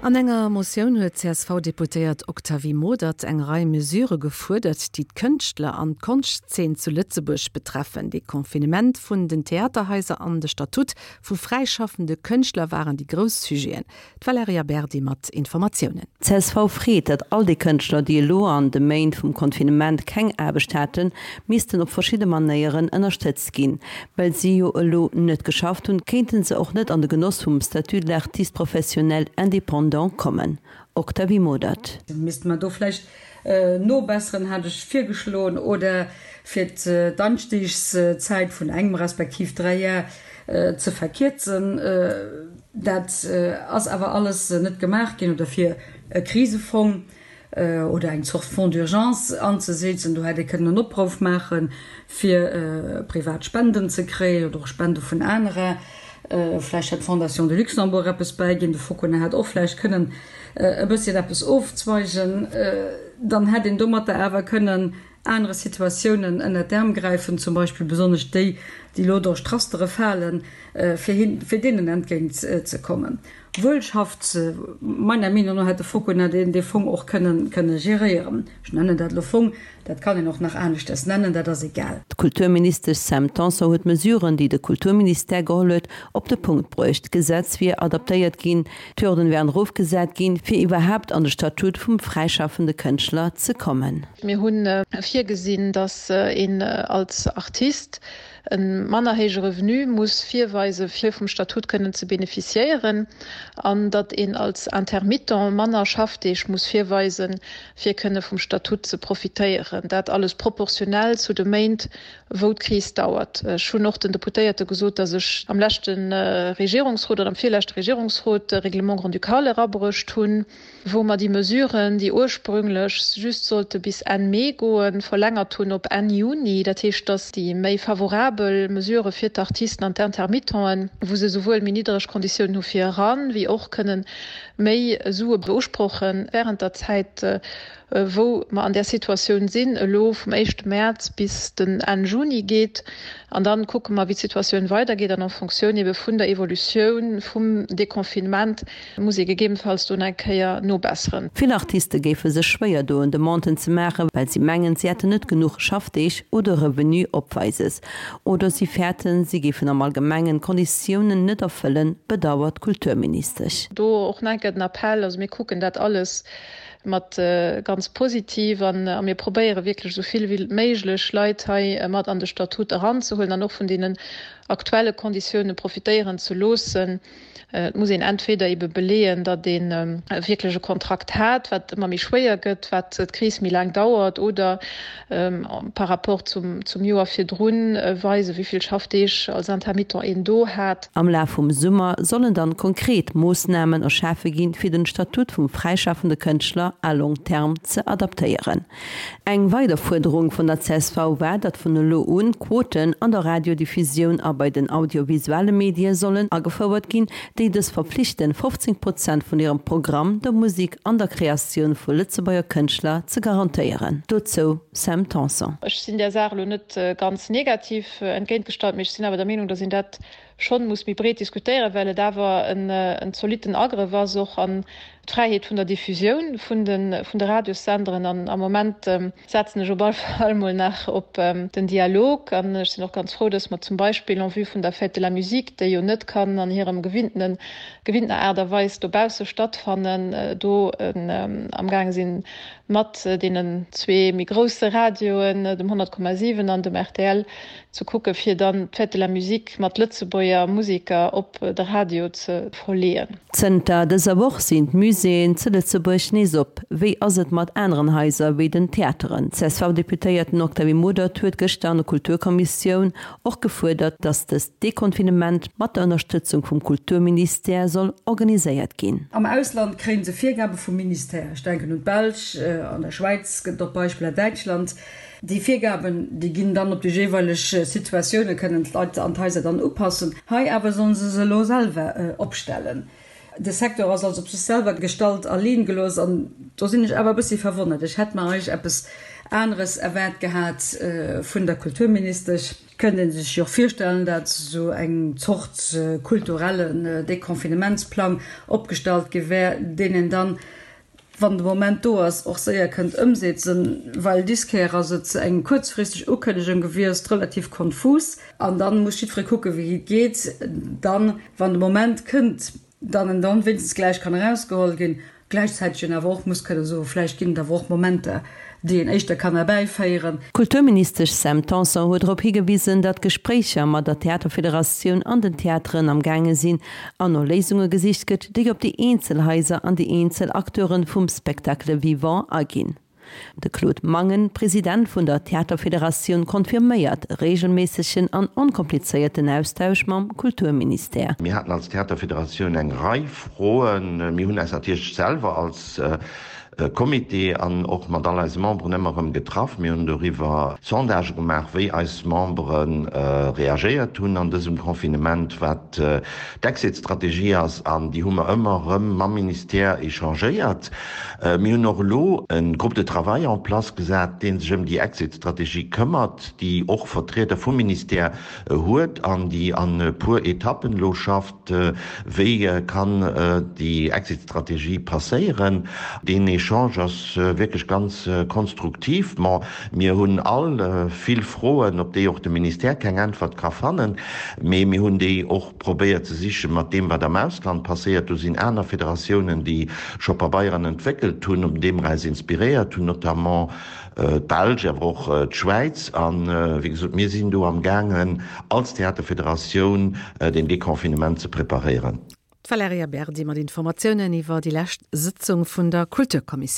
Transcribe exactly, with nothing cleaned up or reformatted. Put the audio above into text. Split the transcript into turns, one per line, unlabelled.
An enger Motioun huet d'CSV-Deputéiert Octavie Modert eng Rei Mesure gefuerdert, déi d'Kënschtler an d'Konschtzeen zu Lëtzebuerg betreffen. Deconfinement vun den Theaterhaiser an de Statut vu fräischaffende Kënschtler waren déi grouss Sujeten. D'Valerija Berdi mat Informatiounen.
D'CSV freet, datt all déi Kënschtler, déi elo an de Méint vum Confinement keng Aarbecht haten, missten op verschidde Manéieren ënnerstëtzt ginn. Well si jo elo net geschafft hunn, kéinten se och net an de Genoss vum Statut de l'artiste professionnel indépendant kommen. Octavie Modert.
Misste mer do vläicht nobesseren, hat ech virgeschloen, oder fir d'Anstiegszäit vun engem respektiv dräi Jar ze verkierzen. Dat ass awer alles net gemaach ginn. Oder fir e Krisefong oder eng Zort Fonds d'urgence anzesetzen, do hätt ee kënnen en Opruff maachen, fir privat Spenden ze kréien oder och Spende vun anerer. Vläicht hätt d'Fondation de Luxembourg eppes bäiginn, de Focuna hätt och vläicht kënnen e bësschen eppes ofzweigen. Dann hätt een domatter awer kënnen anere Situatiounen ënnert d'Äerm gräifen, zum Beispill besonnesch déi, déi elo duerch d'Rastere falen, fir hin, fir deenen entgéint ze kommen. Wuel schafft, meiner Meenung no hätt de Focuna deen dee Fong och kënnen, kënne geréieren. Ech nennen dat elo Fong, dat kann een och nach aneschters nennen, dat ass egal.
D'Kulturministesch Sam Tanson huet d'Mesuren, déi de Kulturministère geholl huet, op de Punkt bruecht. D'Gesetz wier adaptéiert ginn, d'Hürden wären erofgesat ginn, fir iwwerhaapt an de Statut vum fräischaffende Kënschtler ze kommen.
Mir hu virgesinn, datt een als Artist e manner héije Revenu muss virweisen, fir vum Statut kënnen ze beneficiéieren, an datt een als Intermittent manner Schaffdeeg muss virweisen, fir kënne vum Statut ze profitéieren. Dat alles proportionell zu de Méint, wou d'Kris dauert. Ech hunn och den Deputéierte gesot, datt ech am leschte Regierungsrot oder am virleschte Regierungsrot de Règlement grand-ducal erabruecht hunn, wou mer déi Mesuren, déi ursprünglech just sollte bis Enn Mee goen, verlängert hunn op Enn Juni. Dat heescht, datt déi méi favorabel Mesurë fir d'Artisten an d'Intermittenten, wou se souwuel méi niddereg Konditiounen hu fir eran, wéi och kënnen méi Sue beusprochen während der Zäit, wou mer an där Situatioun sinn, elo vum éischte Mäerz bis den Enn Juni geet. An dann kucke mer, wéi d'Situatioun weidergeet an en Fonctioun ebe vun der Evolutioun vum Deconfinement muss ee gegebenfalls do nach eng Kéier nobesseren.
Vill Artiste géife sech schwéier doen, Demanden ze maachen, well si mengen, si hätten net genuch Schaffdeeg oder Revenu opweises. Oder si fäerten, si géifen am Allgemengen d'Konditiounen net erfëllen, bedauert d'Kulturministesch.
Do och nach eng Kéier den Appell, also mir kucken dat alles mat ganz positiv an a mir probéiere wierklech esou vill wéi méiglech Leit hei mat an de Statut eranzehuelen an och vun deenen aktuelle Konditioune profitéieren ze loossen. Et muss een entweder ebe beleeën, datt ee wierklech e Kontrakt hat, wat ëmmer méi schwéier gëtt, wat d'Kris méi laang dauert, oder par rapport zum zum Joer virdrun weisen, wéi vill Schaffdeeg als Intermittent een do hat.
Am Laf vum Summer sollen dann konkret Moossnamen erschafe ginn, fir den Statut vum fräischaffende Kënschtler à long terme ze adaptéieren. Eng weider Fuerderung vun der csv war, datt vun elo un Quoten an der Radiodiffusioun a bei den audiovisuelle Medie sollen agefouert ginn, déi dës verpflichten, fofzéng Prozent vun hirem Programm der Musek an der Kreatioun vu Lëtzebuerger Kënschtler ze garantéieren. Dozou Sam Tanson.
Ech sinn där Saach elo net ganz negativ entgéintgestallt, mee ech sinn awer der Meenung, datt een dat schonn muss méi breet diskutéieren, well et awer en zolitten Agrëff ass och an d'Fräiheet vun der Diffusioun vun de vun de Radiossenderen. An am Moment setzen ech op alle Fall mol nach op den Dialog. An ech sinn och ganz frou, datt mer zum Beispill en vue vun der Fête de la Musique, déi jo net kann an hirem gewinnten gewinntener Aart a Weis dobausse stattfannen, do amgaange sinn, mat deenen zwee méi grousse Radioen, dem honnert Komma siwen an dem rtl, ze kucke fir dann d'Fête de la Musique mat Lëtzebuerger Museker op de Radio ze verleeën.
Zënter dëser Woch sinn d'Muséeën zu Lëtzebuerg nees op. Wéi ass et mat aneren Haiser wéi den Theateren? D'CSV-Deputéierten Octavie Modert huet gëschter an der Kulturkommissioun och gefuerdert, datt dëst Deconfinement mat der Ënnerstëtzung vum Kulturministère soll organiséiert ginn.
Am Ausland kréie se Virgabe vum Ministère. Ech denken un d'Belsch, an der Schwäiz gëtt et och Beispiller, Däitschland. Déi Virgaben, déi ginn dann op déi jeeweileg Situatioune, kënnen d'Leit an d'Haiser dann upassen. Hei awer sollen se se elo selwer opstellen. De Secteur ass also op sech selwer gestallt, alleen gelooss. An do sinn ech awer e bëssi verwonnert. Ech hätt mer eigentlech eppes aneres erwaart gehat vun der Kulturministesch. Et kënnt ee sech jo och virstellen, dat esou eng Zort kulturellen Deconfinementsplang opgestallt gi wär, deen een dann, wann de Moment do ass, och séier kënnt ëmsetzen, well dis Kéier ass et eng kuerzfristeg Ukënnegung gewiescht, relativ konfus, an dann muss jiddweree kucken, wéi et geet dann, wann de Moment kënnt, dann en dann wéinstens gläich kann erausgeholl ginn, gläichzäiteg een awer och muss kënne soen, vläicht ginn et awer och Momenter, déi een éischter kann erbäiféieren.
D'Kulturministesch Sam Tanson huet drop higewisen, datt Gespréicher mat der Theaterfederatioun an den Theateren am gaange sinn an no Léisunge gesicht gëtt, déi op déi eenzel Haiser an déi eenzel Acteure vum Spectacle vivant aginn. De Claude Mangen, President vun der Theaterfederatioun, confirméiert e reegelméissegen an onkomplizéierten Austausch mam Kulturministère.
Mir haten als Theaterfederatioun eng Rei Froen. Mir hunn eis natierlech selwer als Comité an och mat all eise Memberen ëmmer erëm getraff. Mir hunn doriwwer Sondagë gemaach, wéi eis Membere reagéiert hunn an dësem Confinement, wat d'Exit-Strategie ass, an déi hu mer ëmmer erëm mam Ministère échangéiert. Mir hunn och elo e Groupe de travail en place gesat, dee sech ëm déi Exit-Strategie këmmert, déi och Vertrieder vum Ministère huet an déi an e puer Etappen elo schafft, wéi kann déi Exit-Strategie passéieren. Deen Echange ass wierklech ganz konstruktiv. Bon, mir hunn all vill Froen, op déi och de Ministère keng Äntwert ka fannen, mee mir hunn déi och probéiert ze siche mat deem, wat am Ausland passéiert. Do sinn aner Federatiounen, déi scho Pabeieren entwéckelt hunn, op deem mer eis inspiréiert hunn, notamment d'Belsch, awer och d'Schwäiz. A wéi gesot, mir sinn do amgaangen, als Theaterfederatioun den Deconfinement ze preparéieren.
D'Valerija Berdi mat Informatiounen iwwer déi lescht Sëtzung vun der Kulturkommissioun.